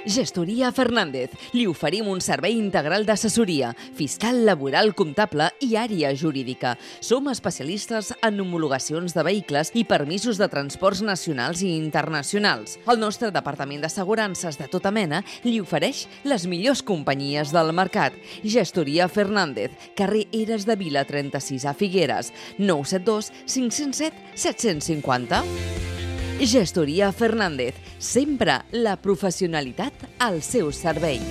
Gestoria Fernández. Li oferim un servei integral d'assessoria, fiscal, laboral, comptable i àrea jurídica. Som especialistes en homologacions de vehicles i permisos de transports nacionals i internacionals. El nostre departament d'assegurances de tota mena li ofereix les millors companyies del mercat. Gestoria Fernández, carrer Eres de Vila 36 a Figueres, 972 507 750. Gestoria Fernández, sempre la professionalitat al seu servei.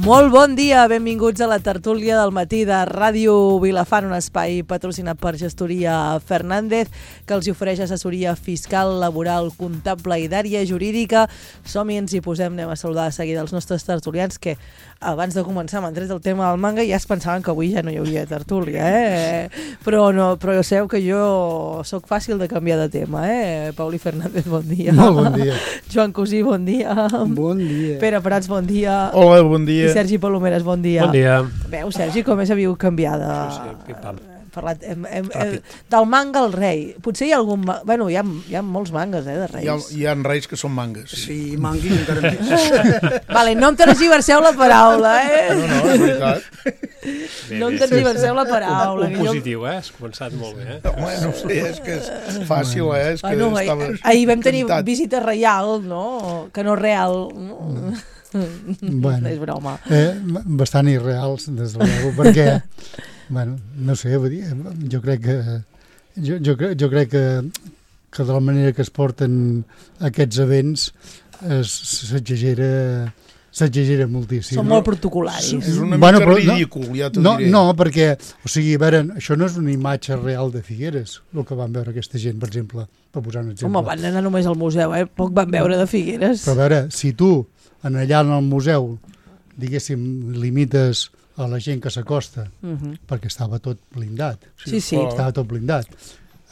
Molt bon dia, benvinguts a la tertúlia del matí de Ràdio Vilafant, un espai patrocinat per Gestoria Fernández, que els ofereix assessoria fiscal, laboral, comptable i d'àrea jurídica. Som-hi, ens hi posem, anem a saludar de seguida els nostres tertulians, que abans de començar m'han tret el tema del manga i ja es pensaven que avui ja no hi hauria tertúlia, Però ja sabeu que jo sóc fàcil de canviar de tema, Pauli Fernández, bon dia. Molt bon dia. Joan Cosí, bon dia. Bon dia. Pere Prats, bon dia. Hola, bon dia. I Sergi Palomeres, bon dia. Bon dia. Veu, Sergi, com és havíeu canviada? Sí, pim-pam. Parlat, del manga al rei. Potser hi ha algun... Bueno, hi ha molts mangues, de reis. Hi ha reis que són mangues. Sí, manguis encara més. Vale, no em tergiverseu la paraula, No, és veritat. No em tergiverseu la paraula. Un positiu, Has començat molt bé, Home, no sé, és que és fàcil, És que estaves... Ahir vam tenir visita reial, no? Que no real. Bueno, és broma. Bastant irreals, des de l'ego, perquè, bueno, no sé, vull dir, jo crec que de la manera que es porten aquests events s'exagera moltíssim. Són molt protocolaris. És una mica ridícul, ja t'ho diré. No, perquè, o sigui, a veure, això no és una imatge real de Figueres, el que van veure aquesta gent, per exemple, per posar un exemple. Home, van anar només al museu, Poc van veure de Figueres. Però a veure, si tu, allà en el museu, diguéssim, limites a la gent que s'acosta, perquè estava tot blindat. Sí. Estava tot blindat.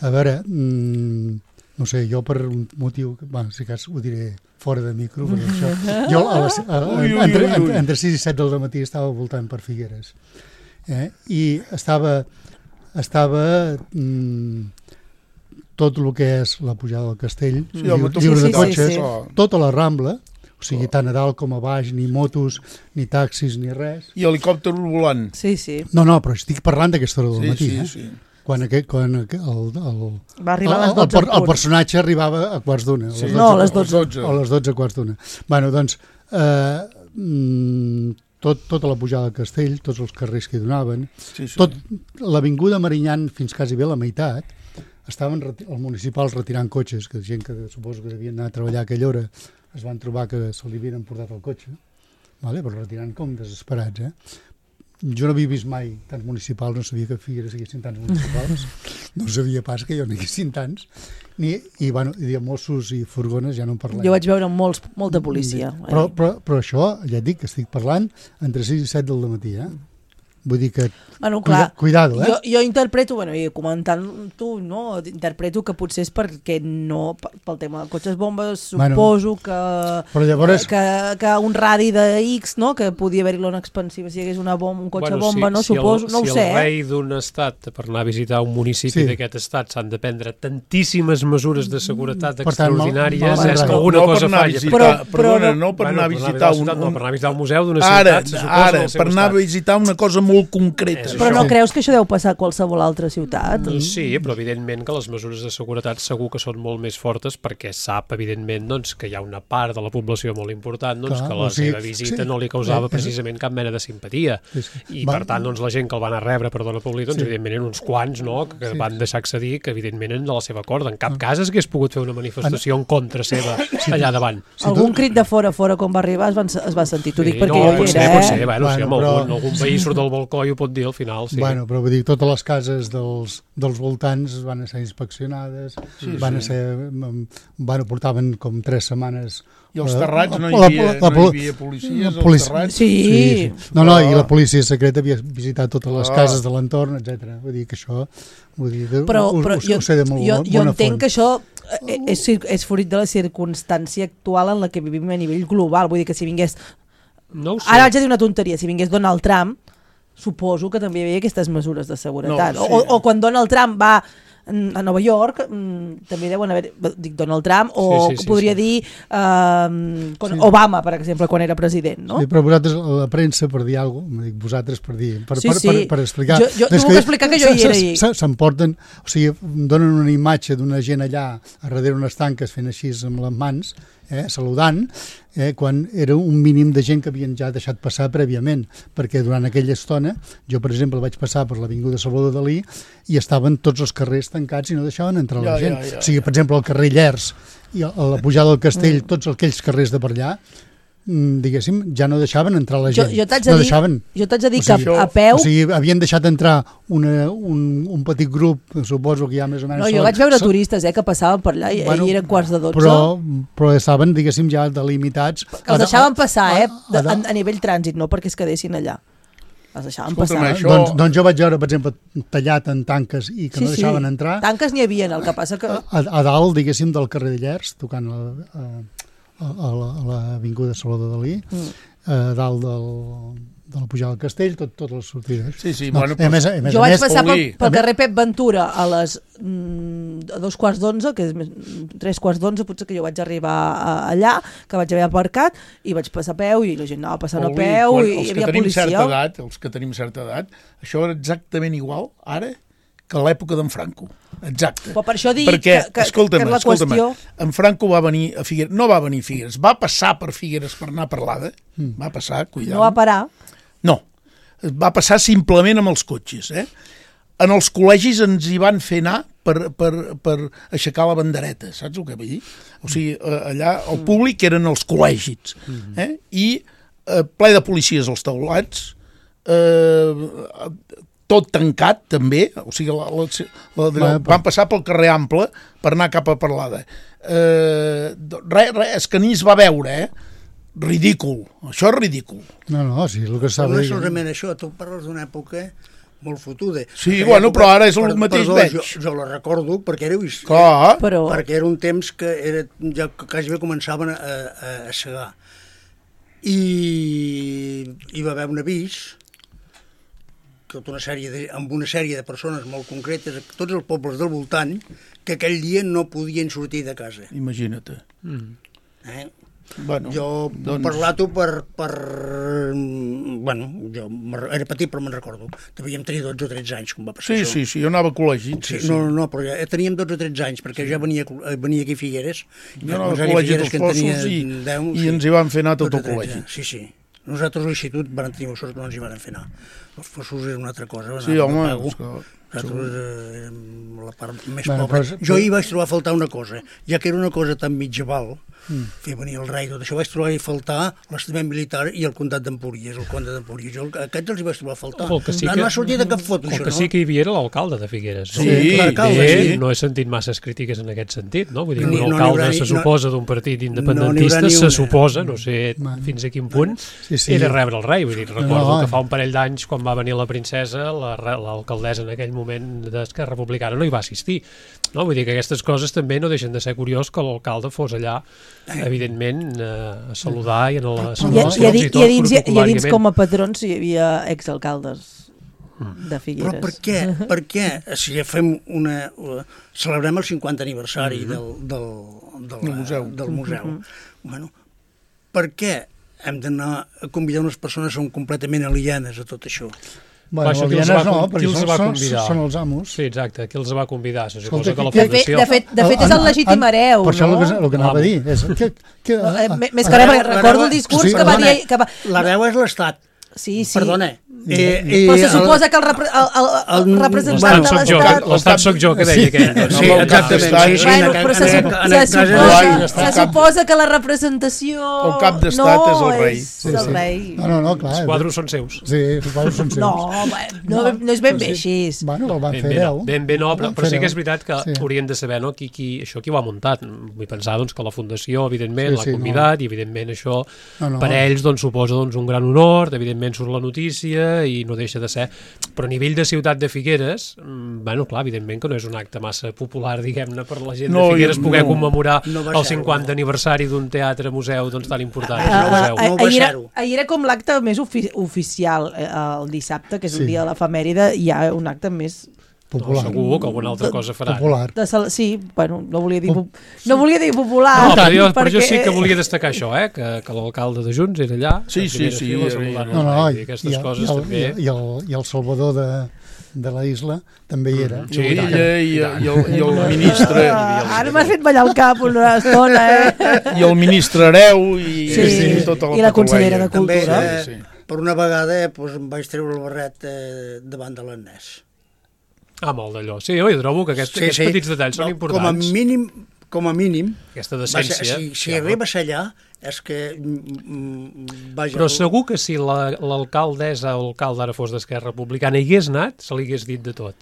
A veure, no sé, jo per un motiu, si cas ho diré fora de micro, perquè això, jo entre 6 i 7 del matí estava voltant per Figueres. I estava tot el que és la pujada del castell, lliure de cotxes, tota la Rambla, o sigui, tant a dalt com a baix, ni motos, ni taxis, ni res. I helicòpter volant. Sí. No, però estic parlant d'aquesta hora del matí, Sí. Quan va arribar a les 12 el personatge arribava a quarts d'una. No, a les 12. A les 12 quarts d'una. Bueno, doncs, tota la pujada del castell, tots els carrers que hi donaven, l'avinguda Marinyan fins quasi bé la meitat, estaven els municipals retirant cotxes, que gent que suposo que devien anar a treballar a aquella hora es van trobar que se li havien emportat el cotxe, però retirant com desesperats, Jo no havia vist mai tants municipals, no sabia que a Figueres hi haguessin tants municipals, no sabia pas que hi haguessin tants, i de Mossos i furgones ja no en parlem. Jo vaig veure molta policia. Però això, ja et dic, que estic parlant entre 6 i 7 del matí, Vull dir que... Cuidado, Jo interpreto, i comentant tu, no? Interpreto que potser és perquè no, pel tema de cotxes bombes, suposo que un radi de X, no? Que podia haver-hi l'ona expansiva si hi hagués un cotxe bomba, no? Suposo, no ho sé. Si el rei d'un estat, per anar a visitar un municipi d'aquest estat, s'han de prendre tantíssimes mesures de seguretat extraordinàries, és que alguna cosa falla. Perdona, no per anar a visitar un museu d'una ciutat, Ara, per anar a visitar una cosa molt concreta. Però no creus que això deu passar a qualsevol altra ciutat? Sí, però evidentment que les mesures de seguretat segur que són molt més fortes perquè sap, evidentment, que hi ha una part de la població molt important que la seva visita no li causava precisament cap mena de simpatia. I, per tant, la gent que el van a rebre, perdona públic, evidentment eren uns quants que van deixar accedir que, evidentment, eren de la seva corda. En cap cas hagués pogut fer una manifestació en contra seva allà davant. Algun crit de fora quan va arribar es va sentir. T'ho dic perquè jo hi era, Potser, si algun veí surt del el coi ho pot dir al final, sí. Bueno, però vull dir, totes les cases dels voltants van ser inspeccionades, portaven com 3 setmanes. I els terrats no hi havia policies, als terrats? Sí. No, i la policia secreta havia visitat totes les cases de l'entorn, etc. Vull dir que això... Però ho sé de molt bona font. Jo entenc que això és fruit de la circumstància actual en la que vivim a nivell global. Vull dir que si vingués... No ho sé. Ara vaig a dir una tonteria. Si vingués Donald Trump, suposo que també hi havia aquestes mesures de seguretat. O quan Donald Trump va a Nova York, també deuen haver... Dic Donald Trump, o podria dir Obama, per exemple, quan era president, no? Sí, però vosaltres, la premsa, per dir alguna cosa, vosaltres per dir... Per explicar... Jo no puc explicar que jo hi era ahir. S'emporten, o sigui, donen una imatge d'una gent allà a darrere unes tanques fent així amb les mans, saludant, quan era un mínim de gent que havien ja deixat passar prèviament, perquè durant aquella estona, jo per exemple vaig passar per l'avinguda Salvador Dalí i estaven tots els carrers tancats i no deixaven entrar la gent. O sigui, per exemple, el carrer Llers i a la pujada del Castell, tots aquells carrers de per allà, diguéssim, ja no deixaven entrar la gent. Jo t'haig de dir que a peu... O sigui, havien deixat entrar un petit grup, suposo que ja més o menys... No, jo vaig veure turistes que passaven per allà i eren quarts de 12. Però estaven, diguéssim, ja delimitats... Els deixaven passar, a nivell trànsit, no perquè es quedessin allà. Els deixaven passar. Doncs jo vaig veure, per exemple, tallat en tanques i que no deixaven entrar... Tanques n'hi havia, el que passa que... A dalt, diguéssim, del carrer de Llers, tocant a l'avinguda Salvador Dalí, a dalt de la pujada del Castell, totes les sortides. Sí, bueno, jo vaig passar pel carrer Pep Ventura a les 2:15, que és 3:15, potser que jo vaig arribar allà, que vaig haver aparcat, i vaig passar a peu, i la gent anava passant a peu, i hi havia policia. Els que tenim certa edat, això era exactament igual, ara, que a l'època d'en Franco. Exacte. Però per això dic escolta'm, la qüestió... en Franco va venir a Figueres, no va venir a Figueres, va passar per Figueres per anar a Parlada, va passar, cuidado. No va parar? No, va passar simplement amb els cotxes. En els col·legis ens hi van fer anar per aixecar la bandereta, saps el que vull dir? O sigui, allà el públic eren els col·legis, i ple de policies als taulats, tot tancat també, o sigui, van passar pel carrer Ample per anar cap a Parlada. És que ni es va veure, ridícul, això és ridícul. No, sí, el que s'ha de dir. No solament això, tu parles d'una època molt fotuda. Sí, bueno, però ara és el mateix veig. Jo la recordo perquè era perquè era un temps que ja quasi bé començaven a segar. I hi va haver un avís amb una sèrie de persones molt concretes, tots els pobles del voltant, que aquell dia no podien sortir de casa. Imagina't. Bueno, jo parlar-t'ho bueno, jo era petit però me'n recordo. Devíem tenir 12 o 13 anys quan va passar això. Sí, jo anava a col·legi. No, però ja teníem 12 o 13 anys perquè ja venia aquí a Figueres. Jo anava al col·legi dels Fossos i ens hi van fer anar tot el col·legi. Sí. Nosaltres a l'institut vam tenir sort que no ens hi van fer anar. Els Fossos era una altra cosa. Sí, home. Nosaltres érem la part més pobra. Jo hi vaig trobar a faltar una cosa, ja que era una cosa tan mitjaval, fer venir el rei, tot això, vaig trobar a faltar l'estament militar i el comtat d'Empúries, el comte d'Empúries. Aquests els hi vaig trobar a faltar. No ha sortit de cap foto, això, no? El que sí que hi havia era l'alcalde de Figueres. Sí. No he sentit masses crítiques en aquest sentit, no? Vull dir, un alcalde se suposa d'un partit independentista, se suposa, no sé fins a quin punt, era rebre el rei. Vull dir, recordo que fa un parell d'anys, quan va venir la princesa, l'alcaldessa en aquell moment d'Esquerra Republicana no hi va assistir. Vull dir que aquestes coses també no deixen de ser curiós que l'alcalde fos allà, evidentment, a saludar i a les celebracions i tot protocol·làriament. I a dins com a patrons hi havia exalcaldes de Figueres. Però per què? Si celebrem el 50 aniversari del museu. Bueno, per què hem d'anar a convidar unes persones que són completament alienes a tot això? Bueno, alienes no, perquè són els amos. Sí, exacte, qui els va convidar? Se suposa que la fundació... De fet, és el legítim hereu, no? Per això el que anava a dir. Més que res, recordo el discurs que va dir... L'hereu és l'Estat. Sí. Perdona, Però se suposa que el representant de l'Estat... L'estat soc jo, que deia aquell. Sí, exactament. Però se suposa que la representació... El cap d'estat és el rei. El rei. No, clar. Els quadros són seus. Sí, els quadros són seus. No és ben bé així. Bueno, el van fer 10. Ben bé no, però sí que és veritat que haurien de saber això qui ho ha muntat. Vull pensar que la Fundació, evidentment, l'ha convidat i, evidentment, això per ells suposa un gran honor, evidentment surt la notícia i no deixa de ser, però a nivell de ciutat de Figueres, clar, evidentment que no és un acte massa popular, diguem-ne, per la gent de Figueres poder commemorar el 50 aniversari d'un teatre-museu tan important. Ahir era com l'acte més oficial, el dissabte, que és el dia de l'efemèride, hi ha un acte més... Popular. No, segur que alguna altra cosa faran. Popular. Sí, bueno, no volia dir popular. No, però jo sí que volia destacar això, que l'alcalde de Junts era allà. Sí. Aquestes coses també. I el Salvador de la isla també hi era. Sí, i el ministre... Ara m'has fet ballar el cap una estona, I el ministre Hereu i tota la consellera de Cultura. Per una vegada em vaig treure el barret davant de l'Ernest. Molt d'allò. Sí, jo trobo que aquests petits detalls són importants. Com a mínim, aquesta decència. Si arribes allà, és que... Però segur que si l'alcaldessa o l'alcalde ara fos d'Esquerra Republicana hi hagués anat, se li hagués dit de tot.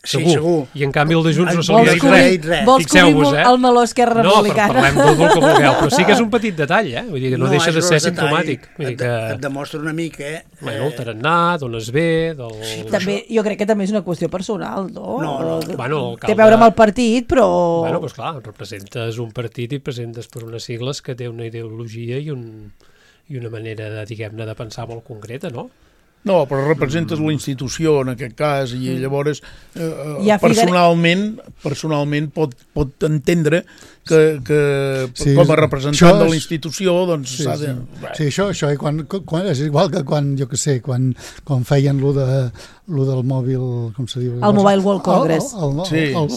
Segur. I en canvi el de Junts no se li ha dit res. Vols cobrir el meló Esquerra Republicana? No, parlem del que vulgueu, però sí que és un petit detall, Vull dir que no deixa de ser simptomàtic. Et demostra una mica... El tarannà, d'on es ve... Jo crec que també és una qüestió personal, no? No. Té a veure amb el partit, però... Doncs clar, representes un partit i presentes per unes sigles que té una ideologia i una manera, diguem-ne, de pensar molt concreta, no? No, però representes la institució en aquest cas i llavors personalment pot entendre que com a representant de la institució s'ha de... Sí, això és igual que quan, jo què sé, quan feien lo del mòbil, com se diu? El Mobile World Congress. El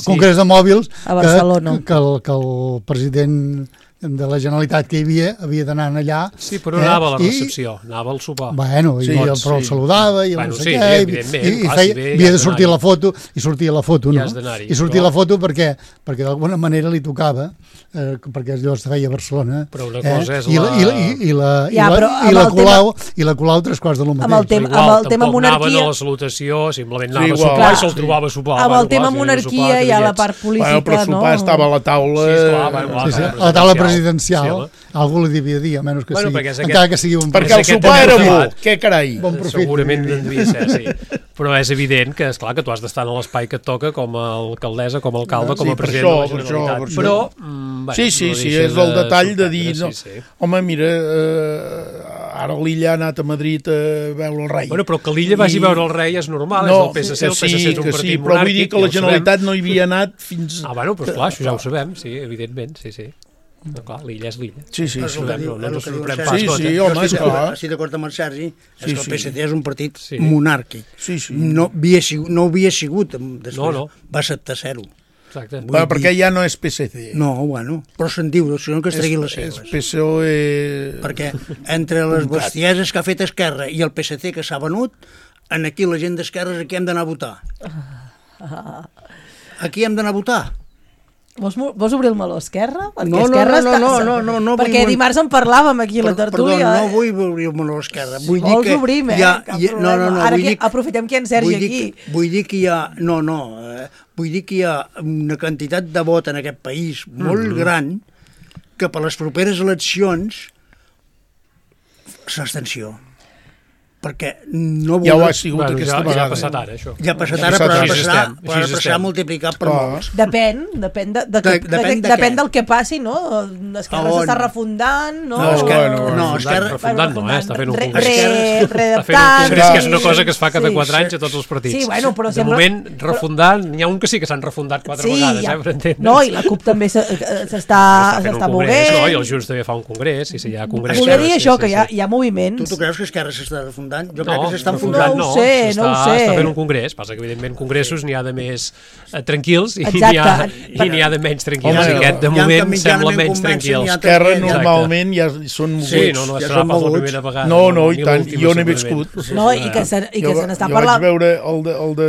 Congrés de Mòbils, a Barcelona. Que el president de la Generalitat que hi havia d'anar allà... Sí, però no anava a la recepció, anava al sopar. Bueno, però el saludava i no sé què, i havia de sortir la foto, i sortia la foto, no? I sortia la foto perquè d'alguna manera li tocava, perquè allò es feia a Barcelona, i la Colau 3 quarts de lo mateix. Amb el tema monarquia... Tampoc anaven a la salutació, simplement anava a sopar i se'l trobava a sopar. Amb el tema monarquia hi ha la part política, no? Però el sopar estava a la taula... A la taula presidencial, algú li devia dir, a menys que sigui, encara que sigui un... Perquè el sopar era bo, què carai? Segurament en devia ser, sí. Però és evident que, esclar, que tu has d'estar en l'espai que et toca com a alcaldessa, com a alcalde, com a president de la Generalitat. Però... Sí, és el detall de dir... Home, mira, ara l'Illa ha anat a Madrid a veure el rei. Bueno, però que l'Illa vagi a veure el rei és normal, és del PSC, el PSC és un partit monàrquic. Però vull dir que la Generalitat no hi havia anat fins... Bueno, però esclar, això ja ho sabem, sí, evidentment, sí. No, clar, l'Illa és l'Illa. Sí. No ens ho sorprèn pas. Sí, home, és clar. Estic d'acord amb el Sergi, és que el PSC és un partit monàrquic. Sí. No havia sigut, després va acceptar ser-ho. Exacte. Perquè ja no és PSC. No, bueno, però se'n diu, si no que es tregui les seves. És PSOE... Perquè entre les bestieses que ha fet Esquerra i el PSC que s'ha venut, aquí la gent d'Esquerra aquí hem d'anar a votar. Aquí hem d'anar a votar. Vols obrir el meló Esquerra? No. Perquè dimarts en parlàvem aquí a la tertúlia. Perdó, no vull obrir el meló Esquerra. Vols obrir, cap problema. Ara aprofitem que hi ha en Sergi aquí. Vull dir que hi ha... Vull dir que hi ha una quantitat de vot en aquest país molt gran que per les properes eleccions s'abstenció. Perquè no ja ho ha sigut aquesta vegada. Ja ha passat ara, això. Ja ha passat ara, però ha passat multiplicat per molts. Depèn del que passi, no? Esquerra s'està refundant, no? Esquerra... Refundant no, està fent un congrés. Redactant. Que és una cosa que es fa cada 4 anys a tots els partits. Sí, bueno, però de moment, refundant, n'hi ha un que sí que s'han refundat 4 vegades, per entendre's. No, i la CUP també s'està movent. No, i el Junts també fa un congrés, i si hi ha congrés... Volia dir això, que hi ha moviment. Tu creus que Esquerra s'està refundant? fundant? Jo crec que s'estan fundant. No ho sé. Està fent un congrés. Passa que, evidentment, congressos n'hi ha de més tranquils i n'hi ha de menys tranquils. Aquest, de moment, sembla menys tranquils. Esquerra, normalment, ja són moguts. Sí, no serà pas la primera vegada. No, i tant. Jo n'he viscut. No, i que se n'està parlant... Jo vaig veure el de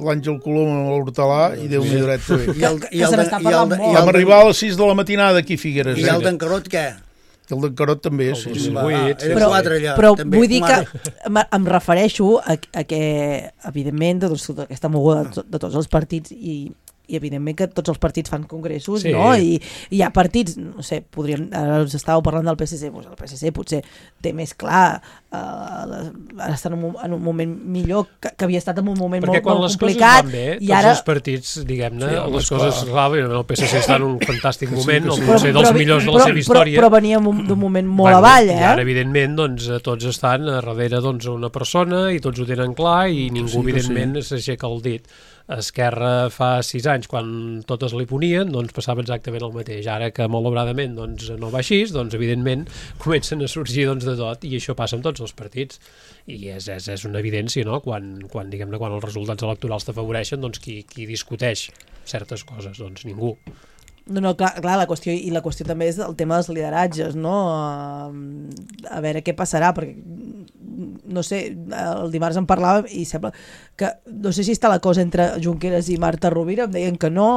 l'Àngel Colom amb l'Hortalà i Déu-n'hi dret també. Que se n'està parlant molt. Vam arribar a les 6 de la matinada aquí a Figueres. I el d'en Carot, què? El d'en Carot també, sí. Però vull dir que em refereixo a que, evidentment, aquesta moguda de tots els partits i evidentment que tots els partits fan congressos, no? I hi ha partits, no sé, ara us estàveu parlant del PSC, doncs el PSC potser té més clar, ara està en un moment millor, que havia estat en un moment molt complicat. Perquè quan les coses van bé, tots els partits, diguem-ne, les coses, clar, el PSC està en un fantàstic moment, potser dels millors de la seva història. Però veníem d'un moment molt avall, I ara, evidentment, tots estan darrere una persona i tots ho tenen clar i ningú, evidentment, s'aixeca el dit. Esquerra fa 6 anys, quan totes li ponien, doncs passava exactament el mateix. Ara que, malauradament, no va així, doncs, evidentment, comencen a sorgir de tot, i això passa amb tots els partits. I és una evidència, no?, quan els resultats electorals t'afavoreixen, doncs qui discuteix certes coses? Doncs ningú. No, clar, la qüestió també és el tema dels lideratges, no? A veure què passarà, perquè no sé, el dimarts en parlàvem i sembla que, no sé si està la cosa entre Junqueras i Marta Rovira, em deien que no,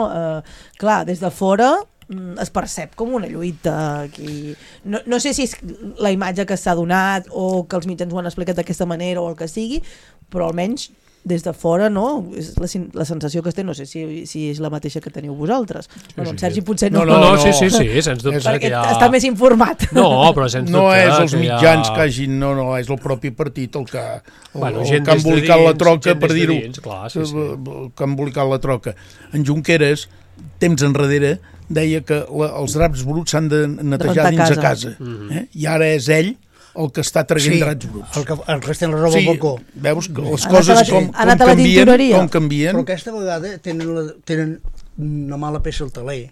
clar, des de fora es percep com una lluita aquí. No sé si és la imatge que s'ha donat o que els mitjans ho han explicat d'aquesta manera o el que sigui, però almenys des de fora, no? És la sensació que es té, no sé si és la mateixa que teniu vosaltres. Bueno, en Sergi potser no. No, sí, sens dubte. Perquè està més informat. No, però sens dubte. No és els mitjans que hagin, no, és el propi partit el que ha embolicat la troca, per dir-ho. Que ha embolicat la troca. En Junqueras, temps enrere, deia que els draps bruts s'han de netejar dins a casa. I ara és ell el que està traient draps bruts. El que estem la roba al balcó. Veus que les coses com canvien. Però aquesta vegada tenen una mala peça al taler,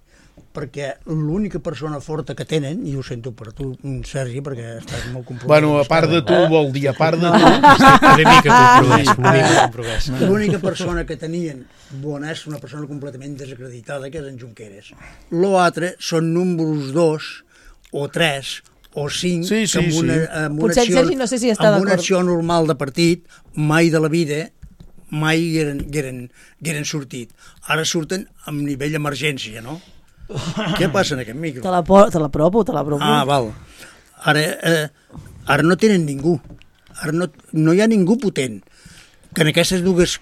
perquè l'única persona forta que tenen, i ho sento per tu, Sergi, perquè estàs molt compromès. Bueno, a part de tu, vol dir, a part de tu. Una mica compromès. L'única persona que tenien bona és una persona completament desacreditada, que és en Junqueras. L'altre són números 2 o 3 o 5, que amb una acció normal de partit mai de la vida mai hagueren sortit. Ara surten amb nivell emergència, no? Què passa en aquest micro? Te la provo. Ah, val. Ara no tenen ningú. Ara no hi ha ningú potent. Que en aquestes dues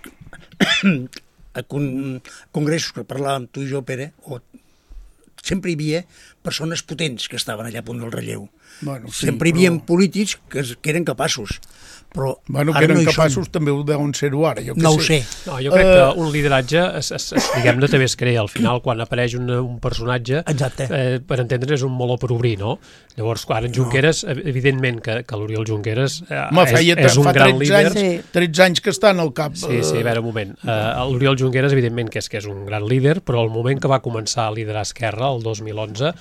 congressos que parlàvem tu i jo, Pere, sempre hi havia persones potents que estaven allà a punt del relleu. Sempre hi havia polítics que eren capaços. Però que eren capaços també ho deuen ser-ho ara. No ho sé. No, jo crec que un lideratge, diguem-ne, també es crea. Al final, quan apareix un personatge, per entendre, és un meló per obrir, no? Llavors, ara en Junqueras, evidentment que l'Oriol Junqueras és un gran líder. 13 anys que està en el cap. Sí, a veure, un moment. L'Oriol Junqueras, evidentment, que és un gran líder, però al moment que va començar a liderar Esquerra, el 2011,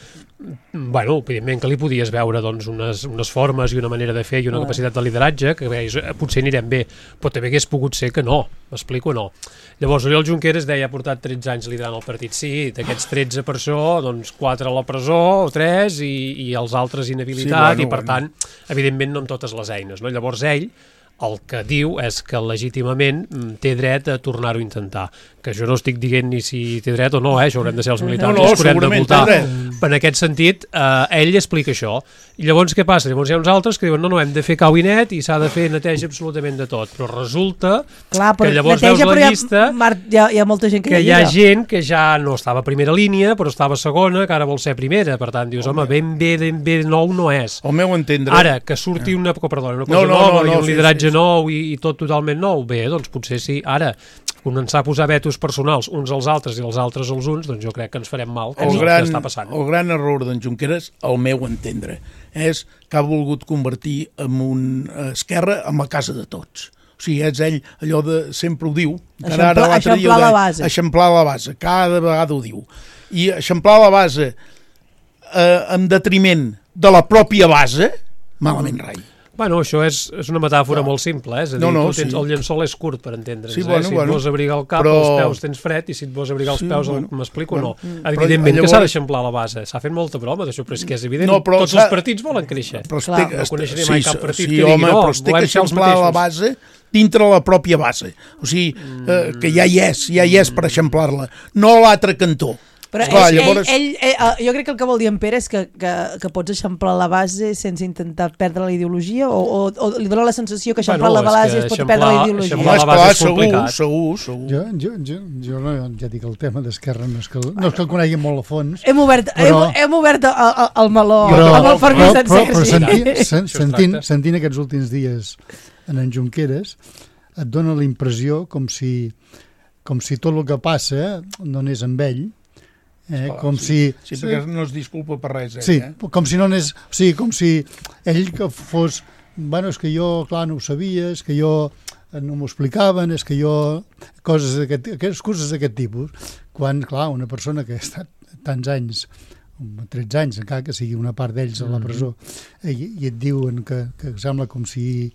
evidentment que li podies veure unes formes i una manera de fer i una capacitat de lideratge que potser anirem bé, però també hagués pogut ser que no, m'explico, no. Llavors, Oriol Junqueras deia, ha portat 13 anys liderant el partit, sí, d'aquests 13 per això, doncs 4 a la presó, o 3, i els altres inhabilitat, i per tant, evidentment no amb totes les eines, no? Llavors ell, el que diu és que legítimament té dret a tornar-ho a intentar. Que jo no estic dient ni si té dret o no, això haurem de ser els militants, els que haurem de votar. En aquest sentit, ell explica això. I llavors què passa? Llavors hi ha uns altres que diuen no, hem de fer cau i net i s'ha de fer neteja absolutament de tot. Però resulta que llavors veus la llista hi ha molta gent que hi ha gent que ja no estava a primera línia, però estava a segona, que ara vol ser primera. Per tant, dius, home, ben bé nou no és. Al meu entendre... Ara, que surti una cosa nova i un lideratge nou i tot totalment nou, bé, doncs potser sí. Ara, començar a posar vetos personals uns als altres i els altres als uns, doncs jo crec que ens farem mal, que és el que està passant. El gran error d'en Junqueras, al meu entendre, és que ha volgut convertir en un Esquerra en la casa de tots. O sigui, és ell, allò de... sempre ho diu. Eixamplar la base. Eixamplar la base, cada vegada ho diu. I eixamplar la base en detriment de la pròpia base, malament rai. Bueno, això és una metàfora molt simple, és a dir, el llençol és curt, per entendre'ns. Si et vols abrigar el cap, els peus tens fred, i si et vols abrigar els peus, m'explico o no? Evidentment que s'ha d'eixamplar la base. S'ha fet molta broma d'això, però és que és evident. Tots els partits volen créixer. No coneixeré mai cap partit que digui, no, volem ser els mateixos. La base dintre la pròpia base. O sigui, que ja hi és per eixamplar-la. No a l'altre cantó. Però jo crec que el que vol dir en Pere és que pots eixamplar la base sense intentar perdre la ideologia o li dona la sensació que eixamplar la base es pot perdre la ideologia. Eixamplar la base és complicat. Segur. Jo ja dic el tema d'Esquerra no és que el conegui molt a fons. Hem obert el meló amb el permís d'en Sergi. Sentint aquests últims dies en Junqueras et dona la impressió com si tot el que passa no anés amb ell. Perquè no es disculpa per res. Com si no anés... O sigui, com si ell que fos... Bueno, és que jo, clar, no ho sabia, és que jo no m'ho explicaven, és que jo... Coses d'aquest tipus. Quan, clar, una persona que ha estat tants anys, 13 anys, encara que sigui una part d'ells a la presó, i et diuen que sembla com si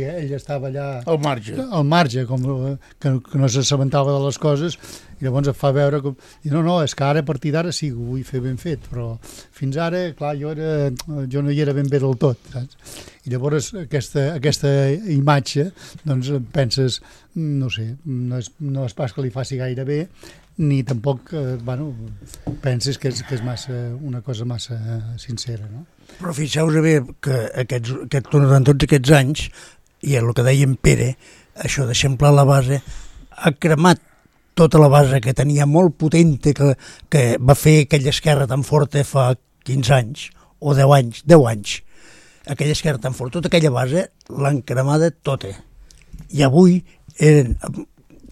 ell estava allà... Al marge, que no s'assabentava de les coses, i llavors et fa veure com... No, és que ara, a partir d'ara sí que ho vull fer ben fet, però fins ara, clar, jo no hi era ben bé del tot, saps? I llavors aquesta imatge, doncs penses, no sé, no és pas que li faci gaire bé, ni tampoc, penses que és una cosa massa sincera, no? Però fixeu-vos bé que durant tots aquests anys, i el que deia en Pere, això d'eixamplar la base, ha cremat tota la base que tenia molt potente, que va fer aquella esquerra tan forta fa 15 anys, o 10 anys, aquella esquerra tan forta, tota aquella base l'han cremada tota. I avui eren...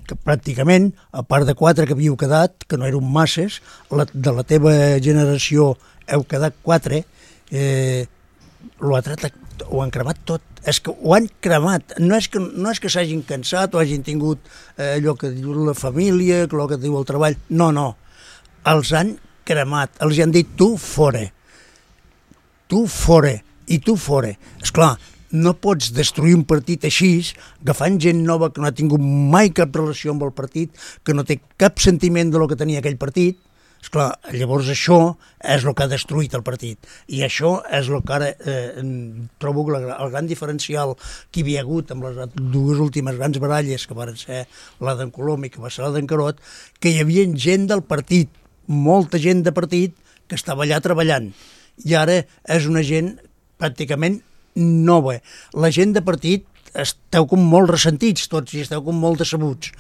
que pràcticament, a part de 4 que havíeu quedat, que no eren masses, de la teva generació heu quedat 4, ho han cremat tot. És que ho han cremat. No és que s'hagin cansat o hagin tingut allò que diu la família, allò que diu el treball. No. Els han cremat. Els han dit tu fora. Tu fora. I tu fora. Esclar, no pots destruir un partit així, agafant gent nova que no ha tingut mai cap relació amb el partit, que no té cap sentiment de lo que tenia aquell partit. Esclar, llavors això és el que ha destruït el partit. I això és el que ara trobo que el gran diferencial que hi havia hagut amb les dues últimes grans baralles, que van ser la d'en Colom i que va ser la d'en Carot, que hi havia gent del partit, molta gent de partit, que estava allà treballant. I ara és una gent pràcticament nova. La gent de partit esteu com molt ressentits tots i esteu com molt decebuts.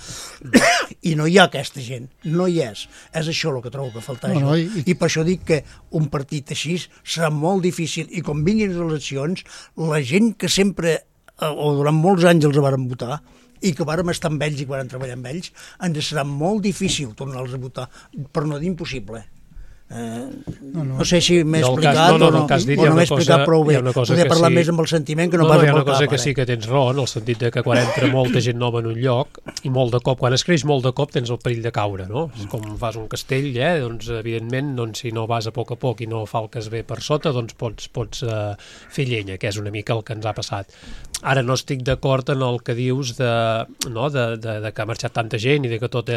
I no hi ha aquesta gent, no hi és. És això el que trobo que falta. I per això dic que un partit així serà molt difícil, i quan vinguin les eleccions, la gent que sempre, o durant molts anys els varen votar, i que vàrem estar amb ells i que vàrem treballar amb ells, ens serà molt difícil tornar-los a votar, per no dir impossible. No sé si m'he explicat o no m'he explicat prou bé. Podria parlar més amb el sentiment que no pas amb el cap. Hi ha una cosa que sí que tens raó, en el sentit de que quan entra molta gent nova en un lloc, i molt de cop, quan es creix molt de cop, tens el perill de caure, no? Com fas un castell, doncs evidentment, si no vas a poc i no falques bé per sota, doncs pots fer llenya, que és una mica el que ens ha passat. Ara no estic d'acord en el que dius de que ha marxat tanta gent i de que tot...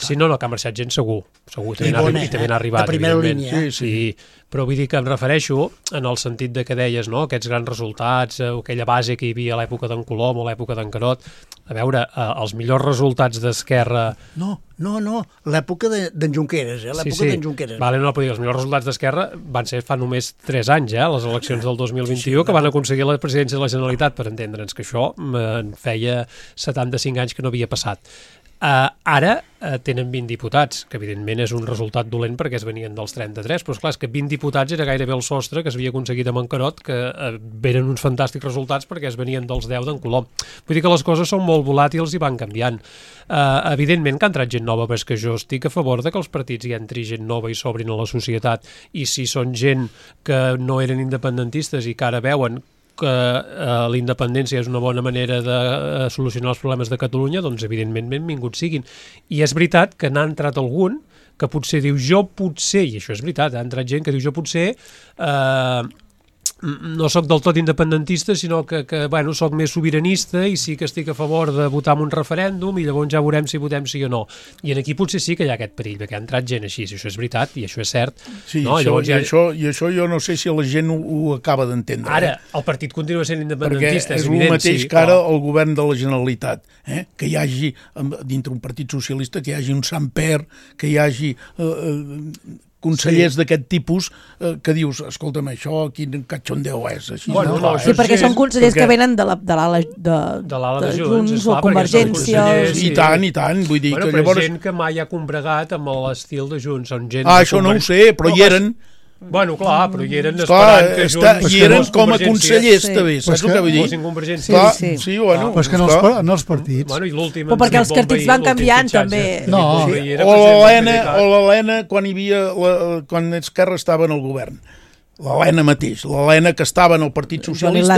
Sí, no, que ha marxat gent segur, també n'ha arribat. Primera línia. Sí, però vull dir que em refereixo en el sentit de que deies, no?, aquests grans resultats, aquella base que hi havia a l'època d'en Colom o a l'època d'en Carot. A veure, els millors resultats d'Esquerra... No, l'època d'en Junqueras, l'època d'en Junqueras. Vale, no, però els millors resultats d'Esquerra van ser fa només 3 anys, les eleccions del 2021, que van aconseguir la presidència de la Generalitat, per entendre'ns, que això feia 75 anys que no havia passat. Ara tenen 20 diputats, que evidentment és un resultat dolent perquè es venien dels 33, però esclar, és que 20 diputats era gairebé el sostre que s'havia aconseguit amb en Carot, que veren uns fantàstics resultats perquè es venien dels 10 d'en Colom. Vull dir que les coses són molt volàtils i van canviant. Evidentment que ha entrat gent nova, però és que jo estic a favor de que els partits hi entri gent nova i s'obrin a la societat, i si són gent que no eren independentistes i que ara veuen que la independència és una bona manera de solucionar els problemes de Catalunya, doncs evidentment benvinguts siguin. I és veritat que n'ha entrat algun que potser diu jo potser, i això és veritat, ha entrat gent que diu jo potser no sóc del tot independentista, sinó que bueno, sóc més sobiranista i sí que estic a favor de votar en un referèndum i llavors ja veurem si votem sí o no. I aquí potser sí que hi ha aquest perill, perquè ha entrat gent així, si això és veritat i això és cert. Sí, no? això jo no sé si la gent ho acaba d'entendre. Ara, el partit continua sent independentista, perquè és evident. El mateix que ara el govern de la Generalitat, que hi hagi, dintre un partit socialista, que hi hagi un Samper, que hi hagi consellers d'aquest tipus que dius, escolta'm, això quin catxondeu és. Així, bueno, no, sí, perquè són consellers que venen de l'ala de Junts o Convergència. I tant, vull dir que llavors... gent que mai ha combregat amb l'estil de Junts. Això no ho sé, però hi eren. Bueno, clar, però hi eren esperant que Junts... I eren com a consellers, també, saps el que vull dir? Sí, bueno. Però és que en els partits... Però perquè els partits van canviant, també. No, o l'Helena, quan Esquerra estava en el govern. L'Helena mateix, l'Helena que estava en el Partit Socialista,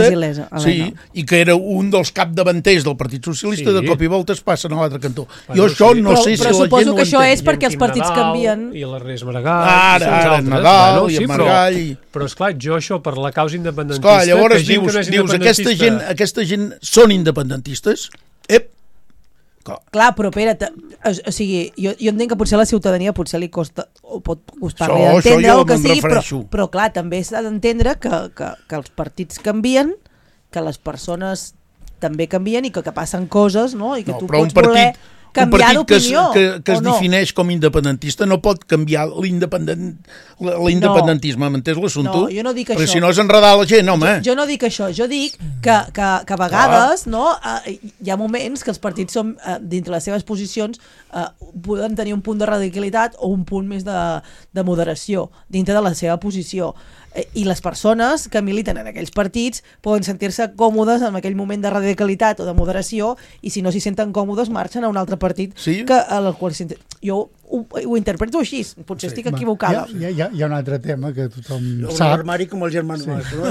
sí, i que era un dels capdavanters del Partit Socialista, de cop i volta es passen a l'altre cantó. Jo això no sé si la gent ho entén. Però suposo que això és perquè els partits canvien. I l'Ernest Maragall. Ara, Nadal i Maragall. Però esclar, jo això per la causa independentista... Esclar, llavors dius, aquesta gent són independentistes? Clar, però espera't, o sigui, jo entenc que potser a la ciutadania potser li costa, o pot costar-li entendre o que sigui, però clar, també s'ha d'entendre que els partits canvien, que les persones també canvien i que passen coses, no? I que tu pots voler canviar d'opinió. Un partit que es defineix com independentista no pot canviar l'independentisme, m'entens l'assumpte? No, jo no dic això. Perquè si no és enredar la gent, home. Jo no dic això, jo dic que a vegades hi ha moments que els partits són, dintre les seves posicions, poden tenir un punt de radicalitat o un punt més de moderació dintre de la seva posició. I les persones que militen en aquells partits poden sentir-se còmodes en aquell moment de radicalitat o de moderació, i si no s'hi senten còmodes marxen a un altre partit al qual jo ho interpreto així, potser estic equivocada. Hi ha un altre tema que tothom sap. Un armari com el germà Mas, no?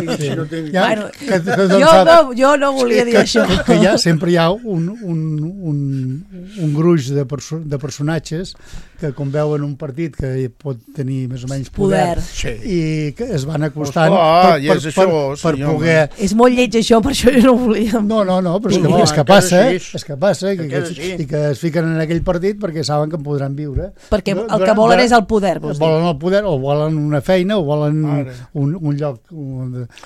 Jo no volia dir això. Que sempre hi ha un gruix de personatges que com veuen un partit que pot tenir més o menys poder i que es van acostant per poder... És molt lleig això, per això jo no volia. No, però és que passa i que es fiquen en aquell partit perquè saben que en podran viure. Perquè el que volen és el poder, vols dir? Volen el poder, o volen una feina, o volen un lloc,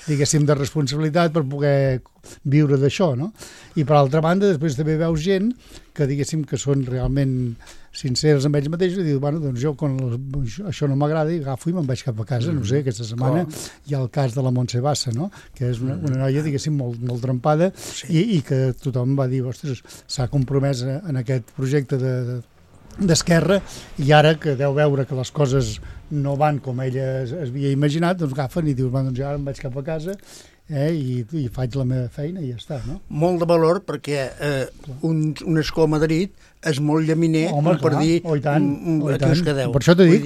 diguéssim, de responsabilitat per poder viure d'això, no? I per altra banda, després també veus gent que, diguéssim, que són realment sinceres amb ells mateixos i diu, bueno, doncs jo quan això no m'agrada i agafo i me'n vaig cap a casa, no sé, aquesta setmana hi ha el cas de la Montse Bassa, no? Que és una noia, diguéssim, molt trempada i que tothom va dir, ostres, s'ha compromès en aquest projecte d'Esquerra, i ara que deu veure que les coses no van com ella es havia imaginat, doncs agafen i dius, doncs ara em vaig cap a casa i faig la meva feina i ja està, no? Molt de valor, perquè un escó a Madrid és molt llaminer per dir que us quedeu. Per això t'he dit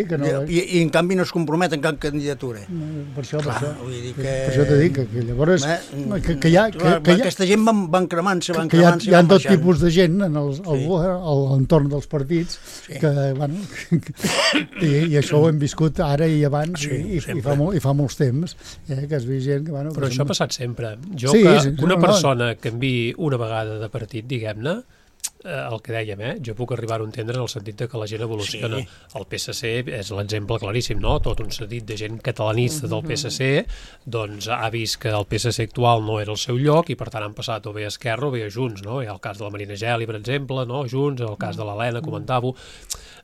que no... I en canvi no es compromet en cap candidatura. Per això t'he dit que llavors... Que aquesta gent van cremant-se, que hi ha tot tipus de gent a l'entorn dels partits que, bueno, i això ho hem viscut ara i abans i fa molts temps, que es veu gent que... Però això ha passat sempre. Jo que una persona canviï una vegada de partit, diguem-ne, el que dèiem, jo puc arribar a entendre en el sentit que la gent evoluciona. El PSC és l'exemple claríssim, no? Tot un sentit de gent catalanista del PSC doncs ha vist que el PSC actual no era el seu lloc i per tant han passat o bé a Esquerra o bé a Junts, no? Hi ha el cas de la Marina Geli, per exemple, no? Junts, el cas de l'Helena, comentava-ho.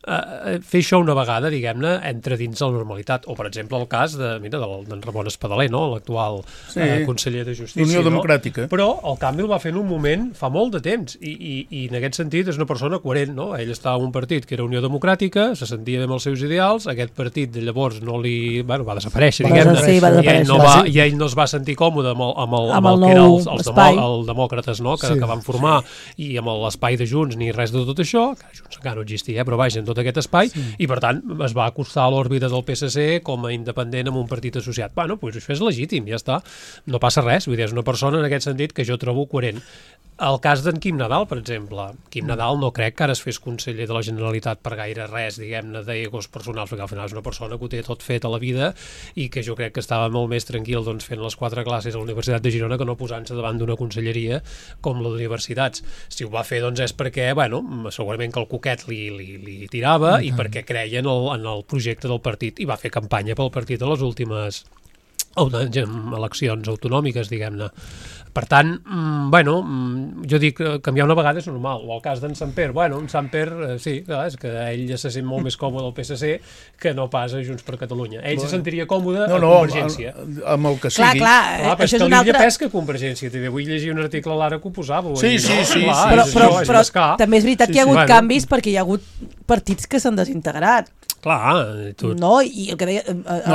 Fer això una vegada, diguem-ne, entra dins la normalitat. O, per exemple, el cas d'en Ramon Espadaler, no? L'actual conseller de Justícia. Unió Democràtica. Però el canvi el va fer en un moment fa molt de temps i en aquest sentit és una persona coherent, no? Ell estava en un partit que era Unió Democràtica, se sentia bé amb els seus ideals, aquest partit de llavors no li... Bueno, va desaparèixer, diguem-ne, i ell no es va sentir còmode amb el que eren els demòcrates, no? Que van formar, i amb l'espai de Junts ni res de tot això, que Junts encara no existia, però vaja, en tot aquest espai, i per tant es va acostar a l'òrbita del PSC com a independent amb un partit associat. Bueno, doncs això és legítim, ja està, no passa res, vull dir, és una persona en aquest sentit que jo trobo coherent. El cas d'en Quim Nadal, per exemple. Quim Nadal no crec que ara es fes conseller de la Generalitat per gaire res, diguem-ne, d'egos personals, perquè al final és una persona que ho té tot fet a la vida i que jo crec que estava molt més tranquil fent les 4 classes a la Universitat de Girona que no posant-se davant d'una conselleria com la d'universitats. Si ho va fer, és perquè, segurament que el coquet li tirava i perquè creia en el projecte del partit i va fer campanya pel partit a les últimes eleccions autonòmiques, diguem-ne. Per tant, jo dic, canviar una vegada és normal. O el cas d'en Samper, en Samper, sí, clar, és que ell ja se sent molt més còmode al PSC que no pas a Junts per Catalunya. Ell se sentiria còmode a Convergència. Amb el que sigui. Clar, això és una altra... pesca Convergència. Vull llegir un article a l'Ara que ho posava. Sí. Però també és veritat que hi ha hagut canvis perquè hi ha hagut partits que s'han desintegrat. Clar, No, i el que deia...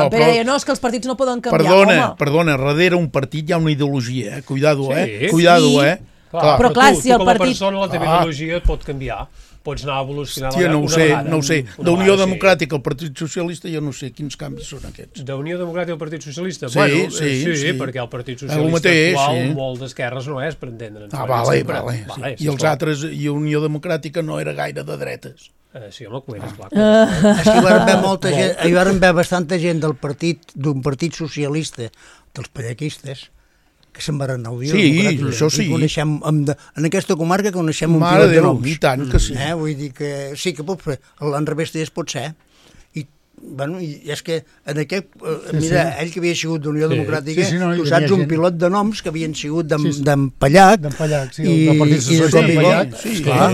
Pere deia, no, és que els partits no poden canviar, Perdona, darrere un partit hi ha una ideologia, Cuidado, Però clar, si el partit... Com a persona la teva ideologia pot canviar. Pots anar evolucionant no ho sé. D'Unió Democràtica al Partit Socialista jo no sé quins canvis són aquests. D'Unió Democràtica al Partit Socialista? Sí, perquè el Partit Socialista actual molt d'esquerres no és, per entendre'ns. Vale. I els altres, i Unió Democràtica no era gaire de dretes. Sí, home, és clar. És que hi van haver molta gent, hi van haver bastanta gent d'un partit socialista, dels pallequistes, que se'n van anar a Unió Democràtica. Això sí. En aquesta comarca coneixem un pilot de noms. I tant que sí. Vull dir que sí que pot fer, l'enrevés pot ser. I és que en aquest... Mira, ell que havia sigut d'Unió Democràtica, tu saps un pilot de noms que havien sigut d'en Pallac. D'en Pallac, sí, el Partit Socialista d'en Pallac.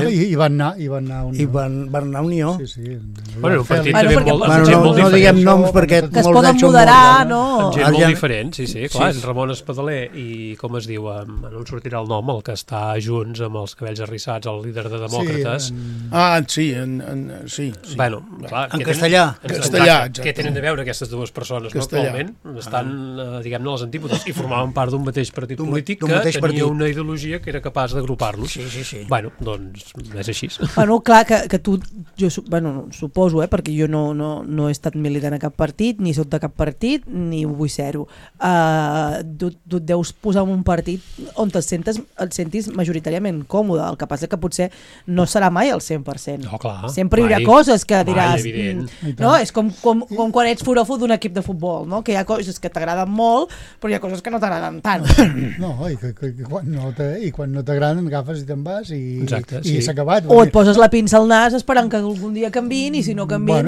I van anar a Unió. I van anar a Unió. Un partit també molt diferent. No diguem noms perquè... Que es poden moderar, no? Gent molt diferent, sí. Clar, és Ramon Espadaler i, com es diu, no em sortirà el nom, el que està junts amb els cabells arrissats, el líder de Demòcrates. Sí. Bueno, clar. En castellà. Què tenen a veure aquestes dues persones actualment? Estan, diguem-ne, a les antípodes i formaven part d'un mateix partit polític que tenia una ideologia que era capaç d'agrupar-los. Sí. Doncs és així. Clar, que tu, suposo, perquè jo no he estat militant a cap partit, ni soc de cap partit, ni ho vull ser-ho. Tu et deus posar en un partit on et sentis majoritàriament còmode. El que passa que potser no serà mai al 100%. No, clar. Sempre hi haurà coses que diràs... No, és com quan ets foròfol d'un equip de futbol, no? Que hi ha coses que t'agraden molt, però hi ha coses que no t'agraden tant. No, i quan no t'agraden agafes i te'n vas i s'ha acabat. O et poses la pinça al nas esperant que algun dia canviïn, i si no canviïn...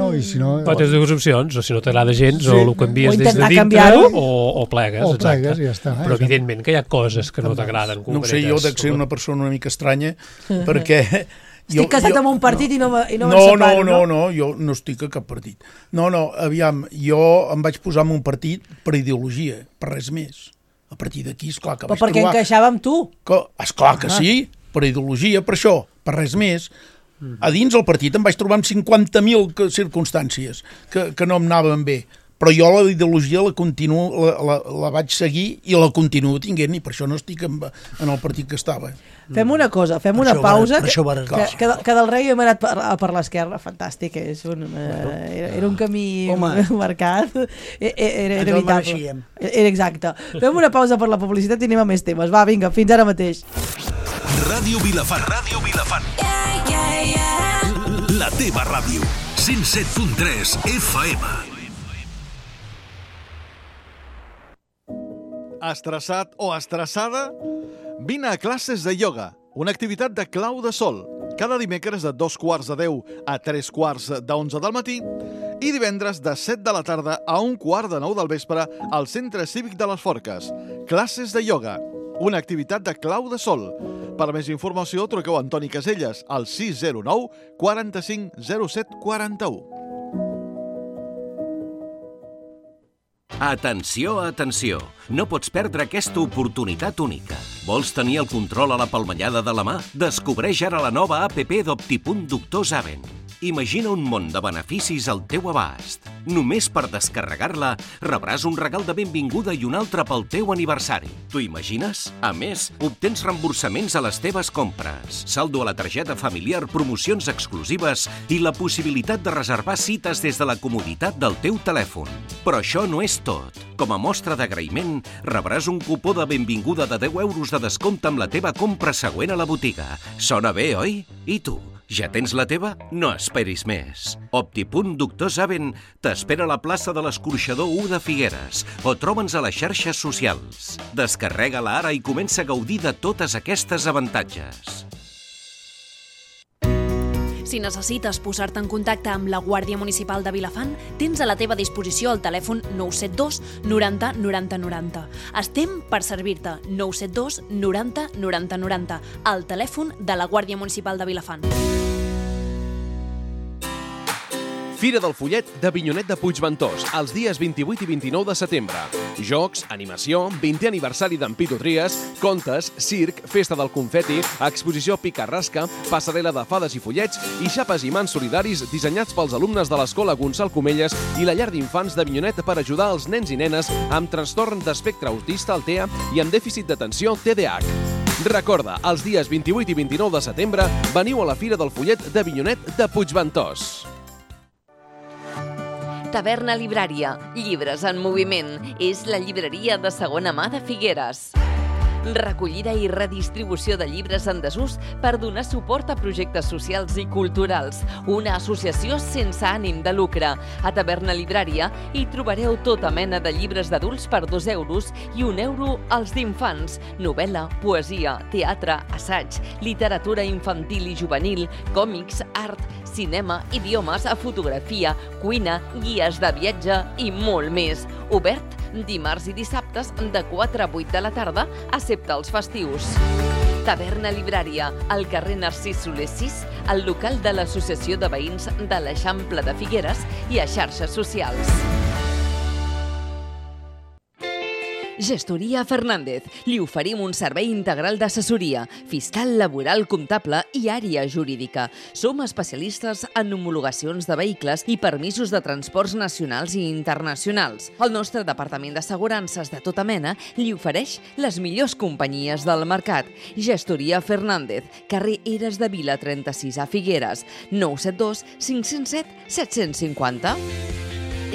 Però tens dues opcions, o si no t'agrada gens, o ho canvies des de dintre, o plegues. O plegues, ja està. Però evidentment que hi ha coses que no t'agraden. No sé, jo dec ser una persona una mica estranya, perquè... Estic casat amb un partit i no me'n separo, no? No, jo no estic a cap partit. Aviam, jo em vaig posar en un partit per ideologia, per res més. A partir d'aquí, esclar que vaig trobar... Però perquè encaixava amb tu? Esclar que sí, per ideologia, per això, per res més. A dins el partit em vaig trobar amb 50.000 circumstàncies que no em anaven bé. Però jo la ideologia la vaig seguir i la continuo tinguent, i per això no estic en el partit que estava. Fem una cosa, fem una pausa, que del rei hem anat per l'esquerra, fantàstic, era un camí marcat, era evitable. Exacte. Fem una pausa per la publicitat i anem a més temes. Va, vinga, fins ara mateix. Ràdio Vilafant. La teva ràdio. 107.3 FM. Estressat o estressada? Vine a classes de ioga, una activitat de clau de sol, cada dimecres de 2:45 a 3:45 del matí i divendres de 7 de la tarda a 8:45 del vespre al Centre Cívic de les Forques. Classes de ioga, una activitat de clau de sol. Per més informació truqueu a Antoni Caselles al 609 45 07 41. Atenció, atenció! No pots perdre aquesta oportunitat única. Vols tenir el control a la palmellada de la mà? Descobreix ara la nova APP d'Optipunt Doctor Zaven. Imagina un món de beneficis al teu abast. Només per descarregar-la rebràs un regal de benvinguda i un altre pel teu aniversari. T'ho imagines? A més, obtens reemborsaments a les teves compres, saldo a la targeta familiar, promocions exclusives i la possibilitat de reservar cites des de la comoditat del teu telèfon. Però això no és tot. Com a mostra d'agraïment, rebràs un cupó de benvinguda de 10 euros de descompte amb la teva compra següent a la botiga. Sona bé, oi? I tu? Ja tens la teva? No esperis més. Optipunt Doctor Saben t'espera a la plaça de l'Escorxador 1 de Figueres o troba'ns a les xarxes socials. Descarrega-la ara i comença a gaudir de totes aquestes avantatges. Si necessites posar-te en contacte amb la Guàrdia Municipal de Vilafant, tens a la teva disposició el telèfon 972 90 90 90. Estem per servir-te. 972 90 90 90. El telèfon de la Guàrdia Municipal de Vilafant. Fira del Follet d'Avinyonet de Puigventós, els dies 28 i 29 de setembre. Jocs, animació, 20è aniversari d'en Pitu Tries, contes, circ, festa del confeti, exposició pica-rasca, passarel·la de fades i follets i xapes i mans solidaris dissenyats pels alumnes de l'Escola Gonçal Comelles i la llar d'infants d'Avinyonet per ajudar els nens i nenes amb trastorn d'espectre autista, el TEA, i amb dèficit d'atenció, TDAH. Recorda, els dies 28 i 29 de setembre veniu a la Fira del Follet d'Avinyonet de Puigventós. Taverna Librària, llibres en moviment. És la llibreria de segona mà de Figueres. Recollida i redistribució de llibres en desús per donar suport a projectes socials i culturals. Una associació sense ànim de lucre. A Taverna Librària hi trobareu tota mena de llibres d'adults per 2 euros i 1 euro als d'infants. Novel·la, poesia, teatre, assaig, literatura infantil i juvenil, còmics, art, cinema, idiomes, fotografia, cuina, guies de viatge i molt més. Obert dimarts i dissabtes de 4 a 8 de la tarda, excepte els festius. Taverna Librària, al carrer Narcís Soler 6, al local de l'Associació de Veïns de l'Eixample de Figueres i a xarxes socials. Gestoria Fernández. Li oferim un servei integral d'assessoria, fiscal, laboral, comptable i àrea jurídica. Som especialistes en homologacions de vehicles i permisos de transports nacionals i internacionals. El nostre departament d'assegurances de tota mena li ofereix les millors companyies del mercat. Gestoria Fernández, carrer Eres de Vila 36 a Figueres, 972 507 750.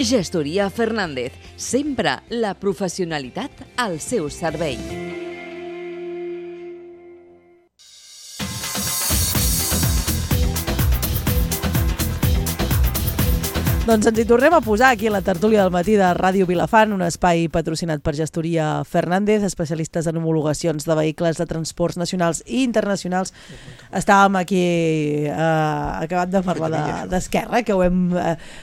Gestoria Fernández, sempre la professionalitat al seu servei. Doncs ens hi tornem a posar aquí a la tertúlia del matí de Ràdio Vilafant, un espai patrocinat per Gestoria Fernández, especialistes en homologacions de vehicles de transports nacionals i internacionals. Estàvem aquí acabant de parlar d'Esquerra, que ho hem...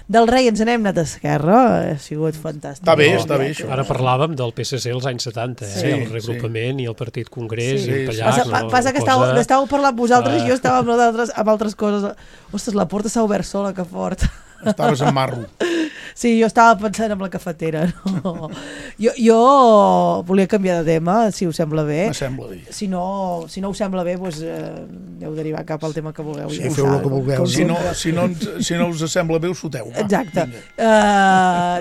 Del rei ens n'hem anat a Esquerra, ha sigut fantàstic. Està bé, això. Ara parlàvem del PSC als anys 70, el regrupament i el Partit Congrés i el Pallars. Passa que estàveu parlant vosaltres i jo estava amb altres coses. Ostres, la porta s'ha obert sola, que fort. Estaves en marro. Sí, jo estava pensant en la cafetera. No. Jo volia canviar de tema, si us sembla bé. Sembla bé. Si no us sembla bé, doncs, heu derivar cap al tema que vulgueu. Sí, feu el que vulgueu. Si no us sembla bé, us foteu. Exacte.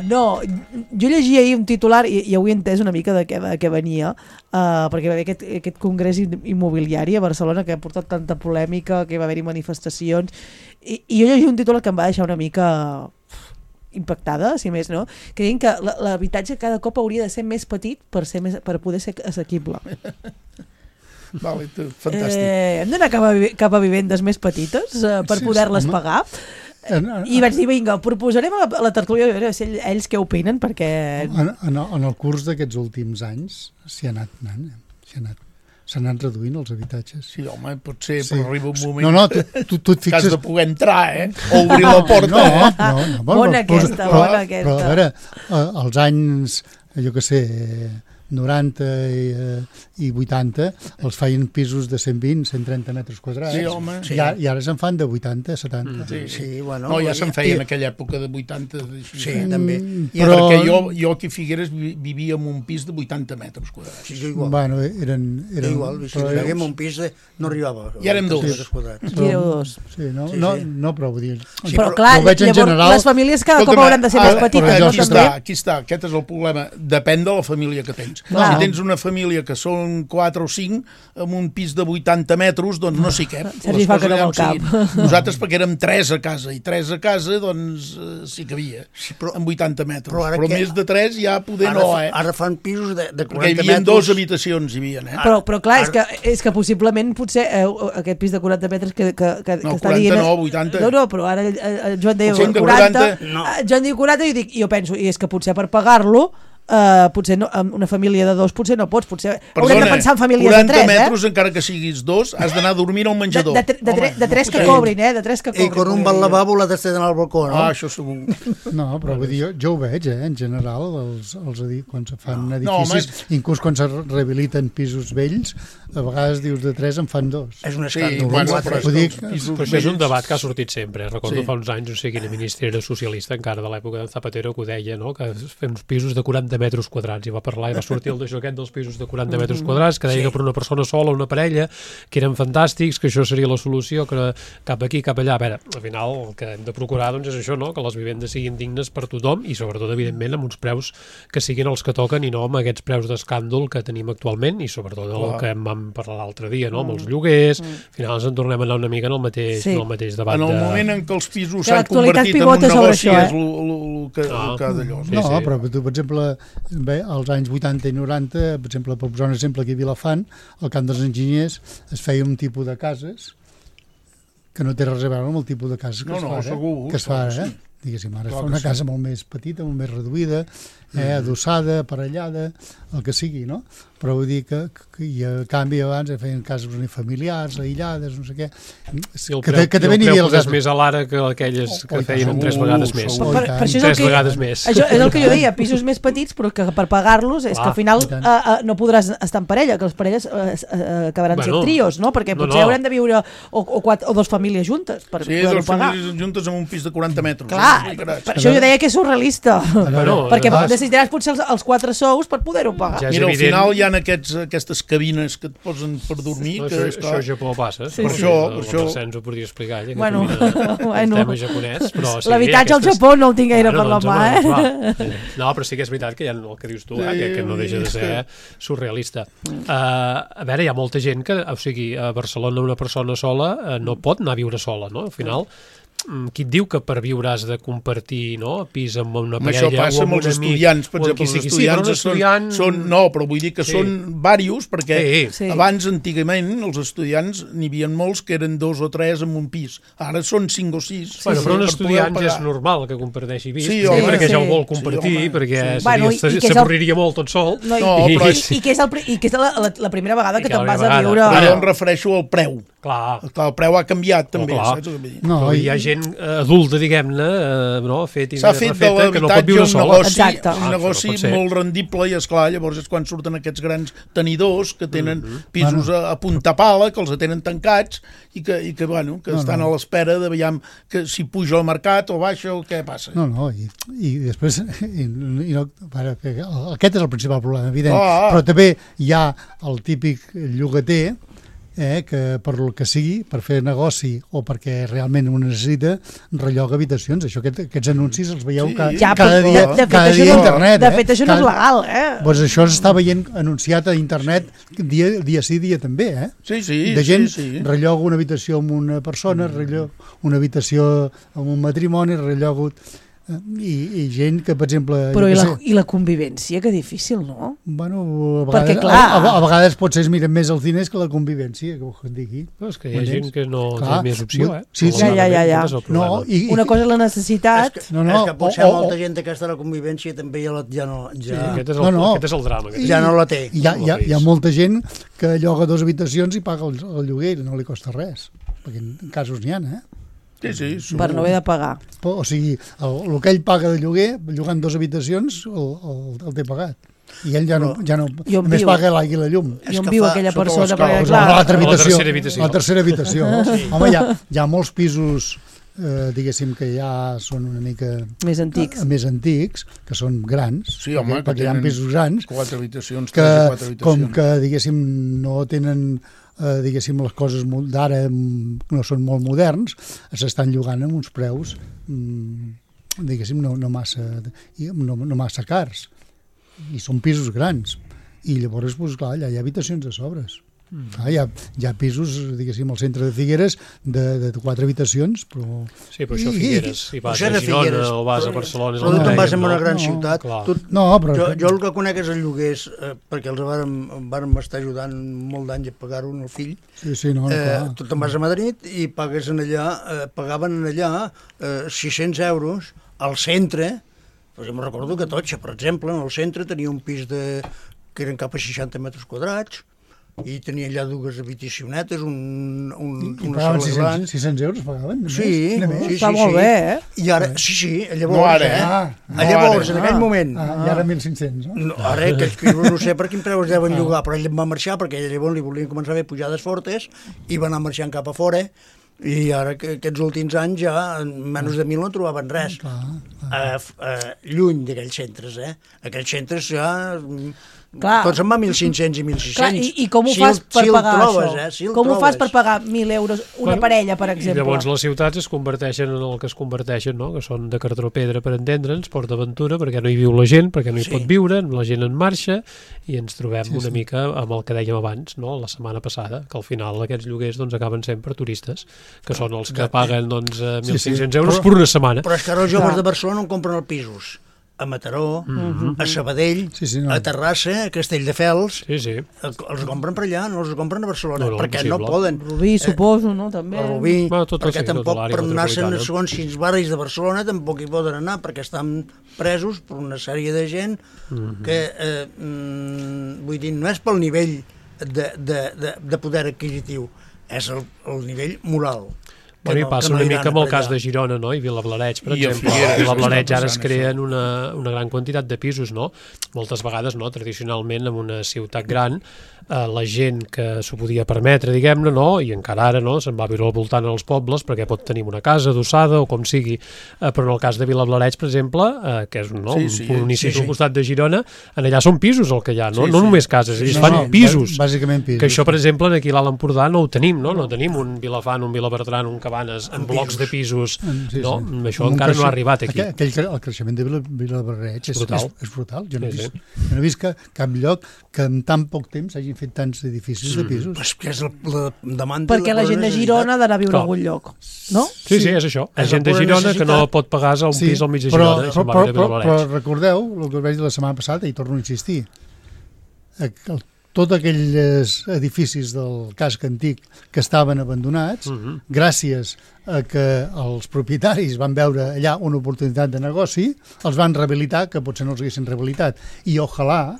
No, jo llegia ahir un titular i avui he entès una mica de què venia, perquè va haver aquest congrés immobiliari a Barcelona que ha portat tanta polèmica, que va haver-hi manifestacions, i jo llegia un titular que em va deixar una mica impactada, si més no, que deien que l'habitatge cada cop hauria de ser més petit per poder ser assequible. Vale, fantàstic. Hem d'anar cap a vivendes més petites per poder-les pagar. I vaig dir, vinga, proposarem a la tertúlia a veure si ells què opinen, perquè... En el curs d'aquests últims anys s'hi ha anat anant, s'han anat reduint els habitatges. Sí, home, potser, però arriba un moment tu et fixes... que has de poder entrar, o obrir la porta. Bona aquesta. Però a veure, els anys, jo què sé, 90 i 80 els feien pisos de 120, 130 metres quadrats. Sí, home. I ara se'n fan de 80, 70. Sí, bueno. No, ja se'n feia en aquella època de 80. Sí, també. Perquè jo aquí a Figueres vivia en un pis de 80 metres quadrats. Sí, jo igual. Bueno, eren igual, si vivíem un pis no arribava. I érem dos. I éreu dos. Sí, no, però vull dir... Però clar, llavors les famílies cada cop hauran de ser més petites. Aquí està, aquest és el problema. Depèn de la família que tens. Si tens una família que són 4 o 5 amb un pis de 80 metres, doncs no s'hi cap. Sergi fa que no vol cap. Nosaltres perquè érem 3 a casa, i 3 a casa doncs sí que havia, amb 80 metres. Però més de 3 ja poder no, Ara fan pisos de 40 metres. Perquè hi havia 2 habitacions, hi havia. Però clar, és que possiblement potser aquest pis de 40 metres que està dient... No, 80. No, però ara Joan deia 40, Joan diu 40 i jo penso, i és que potser per pagar-lo potser no, una família de 2 potser no pots, potser haurem de pensar en famílies de 3, 40 metres, encara que siguis 2, has d'anar a dormir al menjador. De 3 que cobrin, de 3 que cobrin. I quan un va al lavabo l'ha d'estar al balcó, no? Això segur. No, però vull dir, jo ho veig, en general, quan se fan edificis, inclús quan se rehabiliten pisos vells, a vegades dius de 3 en fan 2. És un escàndol. Però això és un debat que ha sortit sempre. Recordo fa uns anys, no sé quina ministra era socialista, encara de l'època de Zapatero, que ho deia, que fem uns pisos de 40 metres quadrats, i va parlar i va sortir el d'això aquest dels pisos de 40 metres quadrats, que deia que per una persona sola, una parella, que eren fantàstics, que això seria la solució, que cap aquí, cap allà. A veure, al final el que hem de procurar doncs és això, que les vivendes siguin dignes per tothom i sobretot, evidentment, amb uns preus que siguin els que toquen i no amb aquests preus d'escàndol que tenim actualment i sobretot el que vam parlar l'altre dia, amb els lloguers. Al final ens en tornem a anar una mica en el mateix debat. En el moment en què els pisos s'han convertit en un negoci és el que d'allò. No, però tu, per exemple, als anys 80 i 90, per exemple, per posar un exemple aquí a Vilafant, al Camp dels Enginyers es feia un tipus de cases que no té res a veure amb el tipus de cases que es fa ara. Diguéssim, ara es fa una casa molt més petita, molt més reduïda, adossada, aparellada, el que sigui, no? Però vull dir que i a canvi abans feien cases unifamiliars, aïllades, no sé què. Que també n'hi havia els altres. Més a l'ara que aquelles que feien 3 vegades més. 3 vegades més. Això és el que jo deia, pisos més petits, però que per pagar-los és que al final no podràs estar en parella, que les parelles acabaran sent trios, no? Perquè potser haurem de viure o 2 famílies juntes per poder-ho pagar. Sí, 2 famílies juntes amb un pis de 40 metres. Clar, per això jo deia que és surrealista. Perquè necessitaràs potser els 4 sous per poder-ho pagar. Mira, al final hi ha aquestes cabines que et posen per dormir. Això a Japó passa. Per això... Ens ho podria explicar, el tema japonès. L'habitatge al Japó no el tinc gaire per la mà, No, però sí que és veritat que hi ha el que dius tu, que no deixa de ser surrealista. A veure, hi ha molta gent que, o sigui, a Barcelona una persona sola no pot anar a viure sola, no? Al final... Qui et diu que per viure has de compartir pis amb una parella o amb un amic? Això passa amb els estudiants, per exemple, els estudiants són... No, però vull dir que són diversos, perquè abans, antigament, els estudiants n'hi havia molts que eren 2 o 3 en un pis. Ara són 5 o 6. Però un estudiant ja és normal que comparteixi pis, perquè ja ho vol compartir, perquè s'avorriria molt tot sol. I que és la primera vegada que te'n vas a viure... Ara em refereixo al preu. Clar, el preu ha canviat, també, saps el que vull dir? Però hi ha gent adulta, diguem-ne, fet i refeta, que no pot viure sola. Un negoci molt rendible i, esclar, llavors és quan surten aquests grans tenidors que tenen pisos a punta pala, que els tenen tancats i que estan a l'espera de veure si puja al mercat o baixa o què passa. I després, aquest és el principal problema, evident, però també hi ha el típic llogater que per el que sigui, per fer negoci o perquè realment ho necessita, relloga habitacions. Aquests anuncis els veieu cada dia a internet. De fet, això no és legal, Doncs això s'està veient anunciat a internet dia sí, dia també, Sí. De gent relloga una habitació amb una persona, relloga una habitació amb un matrimoni, relloga... I gent que, per exemple... Però i la convivència, que difícil, no? Bueno, a vegades potser es miren més els diners que la convivència, que ho digui. És que hi ha gent que no té més opció, Sí. Ja. Una cosa és la necessitat... És que potser molta gent aquesta la convivència també ja no... Aquest és el drama. Ja no la té. Hi ha molta gent que lloga 2 habitacions i paga el lloguer i no li costa res, perquè en casos n'hi ha, per no haver de pagar. O sigui, el que ell paga de lloguer, llogant 2 habitacions, el té pagat. I ell ja no només paga l'aigua i la llum. I on viu aquella persona? La tercera habitació. Home, hi ha molts pisos, diguéssim, que ja són una mica més antics, que són grans, perquè hi ha pisos grans, 4 habitacions, 3 o 4 habitacions. Com que, diguéssim, no tenen... diguéssim, les coses d'ara no són molt moderns, s'estan llogant amb uns preus diguéssim, no massa cars, i són pisos grans, i llavors, clar, allà hi ha habitacions de sobres. Hi ha pisos, diguéssim, al centre de Figueres de 4 habitacions, però... Sí, però això Figueres, si vas a Girona o vas a Barcelona... Però tu te'n vas a una gran ciutat. Jo el que conec és el lloguers, perquè els vàrem estar ajudant molt d'anys a pagar-ho al fill. Tu te'n vas a Madrid i pagaven allà 600 euros al centre. Jo me'n recordo que Totxa, per exemple, en el centre tenia un pis que eren cap a 60 metres quadrats, i tenia allà 2 habitacionetes, I pagaven 600 euros, pagaven? Sí. Està molt bé, eh? I ara, llavors, llavors, en aquell moment... I ara 1.500, no? Ara, aquells pisos no sé per quin preu es deuen llogar, però ell va marxar perquè llavors li volien començar a fer pujades fortes i va anar marxant cap a fora, i ara aquests últims anys ja en menys de 1.000 no trobaven res. Lluny d'aquells centres, Aquells centres ja... Tots se'n va 1.500 i 1.600. I com ho fas per pagar això? Com ho fas per pagar 1.000 euros una parella, per exemple? I llavors les ciutats es converteixen en el que es converteixen, no? Que són de cartró pedra, per entendre'ns, PortAventura, perquè no hi viu la gent, perquè no hi pot viure, la gent en marxa, i ens trobem una mica amb el que dèiem abans, no? La setmana passada, que al final aquests lloguers acaben sent per turistes, que són els que paguen 1.500 euros per una setmana. Però és que ara els joves de Barcelona no compren els pisos. A Mataró, a Sabadell, a Terrassa, a Castelldefels, els compren per allà, no els compren a Barcelona, perquè no poden. Rubí, suposo, no? També. A Rubí, perquè tampoc per anar-se'n segons quins barris de Barcelona tampoc hi poden anar, perquè estan presos per una sèrie de gent que, vull dir, no és pel nivell de poder adquisitiu, és el nivell moral. Bueno, i passa una mica amb el cas de Girona, no? I Vilablareix, per exemple. A Vilablareix ara es creen una gran quantitat de pisos, no? Moltes vegades, no? Tradicionalment, en una ciutat gran, la gent que s'ho podia permetre, diguem-ne, no? I encara ara, no? Se'n va viure al voltant als pobles perquè pot tenir una casa adossada o com sigui. Però en el cas de Vilablareix, per exemple, que és un municipi al costat de Girona, allà són pisos el que hi ha, no? No només cases, ells fan pisos. Bàsicament pisos. Que això, per exemple, aquí a l'Alt Empordà no ho tenim, no? No tenim un Vilafant, un Vilabertran, un Cabanes en blocs de pisos, no? Això encara no ha arribat aquí. El creixement de Vilablareix és brutal. Jo no he vist cap lloc que en tan poc temps hagin fet tants edificis de pisos. Perquè és la demanda... Perquè la gent de Girona ha d'anar a viure a algun lloc, no? Sí, és això. La gent de Girona que no pot pagar un pis al mig de Girona. Però recordeu el que us vaig dir la setmana passada, i torno a insistir, tots aquells edificis del casc antic que estaven abandonats, gràcies a que els propietaris van veure allà una oportunitat de negoci, els van rehabilitar, que potser no els haguessin rehabilitat. I ojalà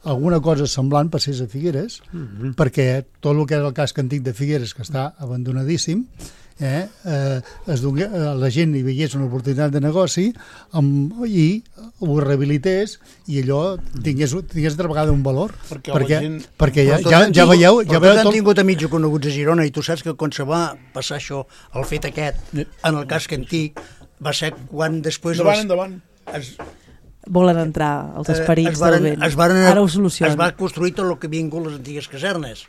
alguna cosa semblant passés a Figueres, perquè tot el que és el casc antic de Figueres, que està abandonadíssim, la gent hi veiés una oportunitat de negoci i ho rehabilités i allò tingués altra vegada un valor, perquè ja veieu... Tots han tingut amics coneguts a Girona i tu saps que quan se va passar això, el fet aquest, en el casc antic, va ser quan després... Endavant. Volen entrar els esperits del vent. Ara ho solucionen. Es va construir tot el que havien vingut les antigues casernes.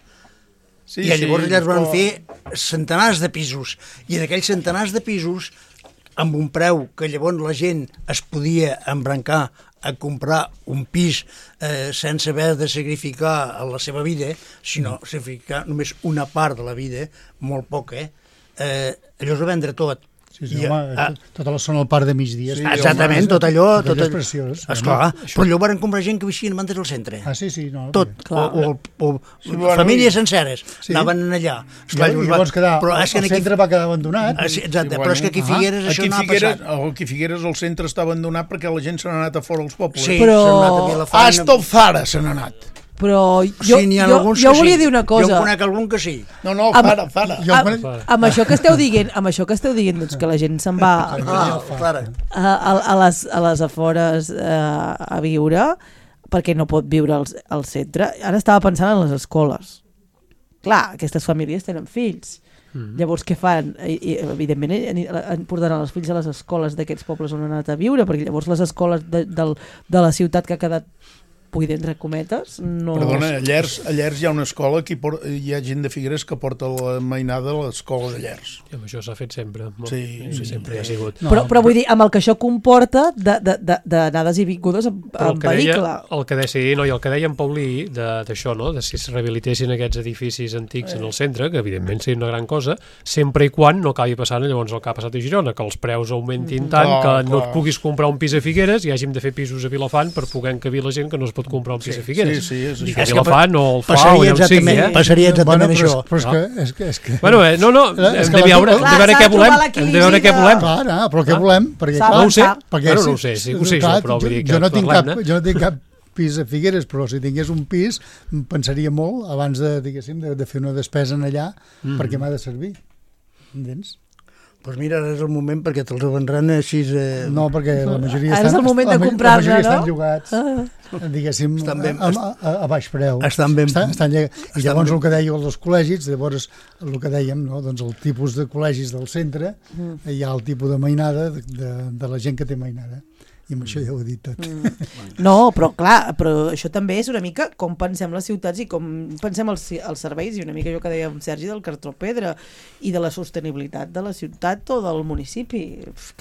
I llavors allà es van fer centenars de pisos, i en aquells centenars de pisos, amb un preu que llavors la gent es podia embrancar a comprar un pis sense haver de sacrificar la seva vida, sinó sacrificar només una part de la vida, molt poca, allò es va vendre tot. Tota la zona del Parc de Migdia. Exactament, tot allò... Tot allò és preciós. Esclar, però allò van comprar gent que veixien abans del centre. Tot, o famílies senceres anaven allà. Però el centre va quedar abandonat. Exacte, però és que aquí a Figueres això no ha passat. Aquí a Figueres el centre està abandonat perquè la gent se n'ha anat a fora als pobles. Sí, s'ha anat a Vilafant. Hasta el Zara se n'ha anat. Però jo volia dir una cosa. Jo en conec algun que sí. No, Fara. Amb això que esteu dient, doncs, que la gent se'n va a les afores a viure, perquè no pot viure al centre. Ara estava pensant en les escoles. Clar, aquestes famílies tenen fills. Llavors què fan? Evidentment portaran els fills a les escoles d'aquests pobles on han anat a viure, perquè llavors les escoles de la ciutat que ha quedat buida, entre cometes, no... Perdona, a Llers hi ha una escola que hi ha gent de Figueres que porta la mainada a l'escola de Llers. I amb això s'ha fet sempre. Sí, sempre hi ha sigut. Però vull dir, amb el que això comporta d'anades i vingudes en vehicle. El que deia en Paulí d'això, no? De si es rehabilitessin aquests edificis antics en el centre, que evidentment seria una gran cosa, sempre i quan no acabi passant llavors el que ha passat a Girona, que els preus augmentin tant que no et puguis comprar un pis a Figueres i hàgim de fer pisos a Vilafant per poder encabir la gent que no es pot comprar un pis a Figueres. Sí, és que Vilafant o el FA o allà on sigui. Passaria exactament això. Però és que... Bueno, hem de veure què volem. Hem de veure què volem. Clar, però què volem? No ho sé. No ho sé, sí que ho sé, però vull dir que jo no tinc cap pis a Figueres, però si tingués un pis pensaria molt abans de fer una despesa en allà perquè m'ha de servir. Entens? Doncs mira, ara és el moment perquè te'ls vendran així... No, perquè la majoria estan... Ara és el moment de comprar-ne, no? Estan llogats, diguéssim, a baix preu. Estan ben... I llavors el que dèieu dels col·legis, llavors el que dèiem, doncs el tipus de col·legis del centre, hi ha el tipus de mainada de la gent que té mainada. I amb això ja ho he dit tot. No, però clar, però això també és una mica com pensem les ciutats i com pensem els serveis, i una mica allò que deia Sergi del cartró pedra i de la sostenibilitat de la ciutat o del municipi.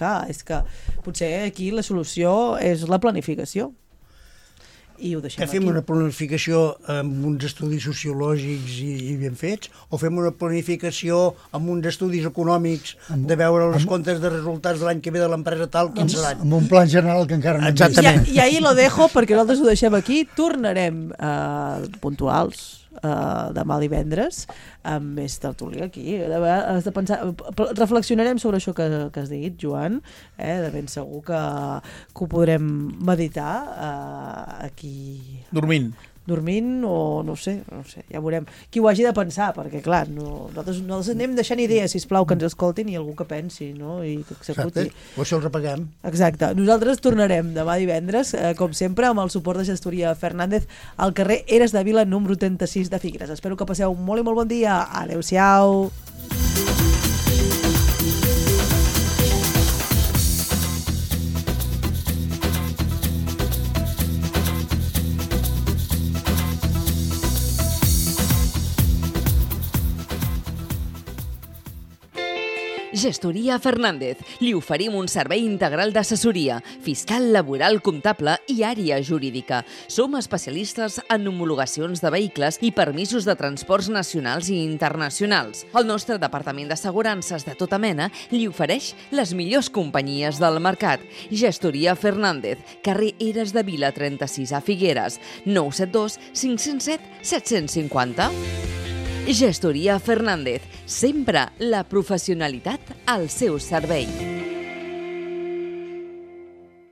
Clar, és que potser aquí la solució és la planificació. I ho deixem aquí. Fem una planificació amb uns estudis sociològics i ben fets, o fem una planificació amb uns estudis econòmics de veure els comptes de resultats de l'any que ve de l'empresa tal, quins seran? Amb un plan general que encara no hem vist. I ahí lo dejo, perquè nosaltres ho deixem aquí. Tornarem puntuals demà divendres amb més tertúlia aquí. Has de pensar, reflexionarem sobre això que has dit, Joan, de ben segur que ho podrem meditar aquí dormint o no sé, ja veurem qui ho hagi de pensar, perquè clar nosaltres anem deixant idees, sisplau, que ens escoltin i algú que pensi, no? I que executi. O això els apaguem. Exacte, nosaltres tornarem demà divendres com sempre amb el suport de Gestoria Fernández al carrer Eres de Vila número 36 de Figueres. Espero que passeu molt i molt bon dia. Adéu-siau. Gestoria Fernández. Li oferim un servei integral d'assessoria, fiscal, laboral, comptable i àrea jurídica. Som especialistes en homologacions de vehicles i permisos de transports nacionals i internacionals. El nostre departament d'assegurances de tota mena li ofereix les millors companyies del mercat. Gestoria Fernández, carrer Eres de Vila 36 a Figueres, 972 507 750. Gestoria Fernández, sempre la professionalitat al seu servei.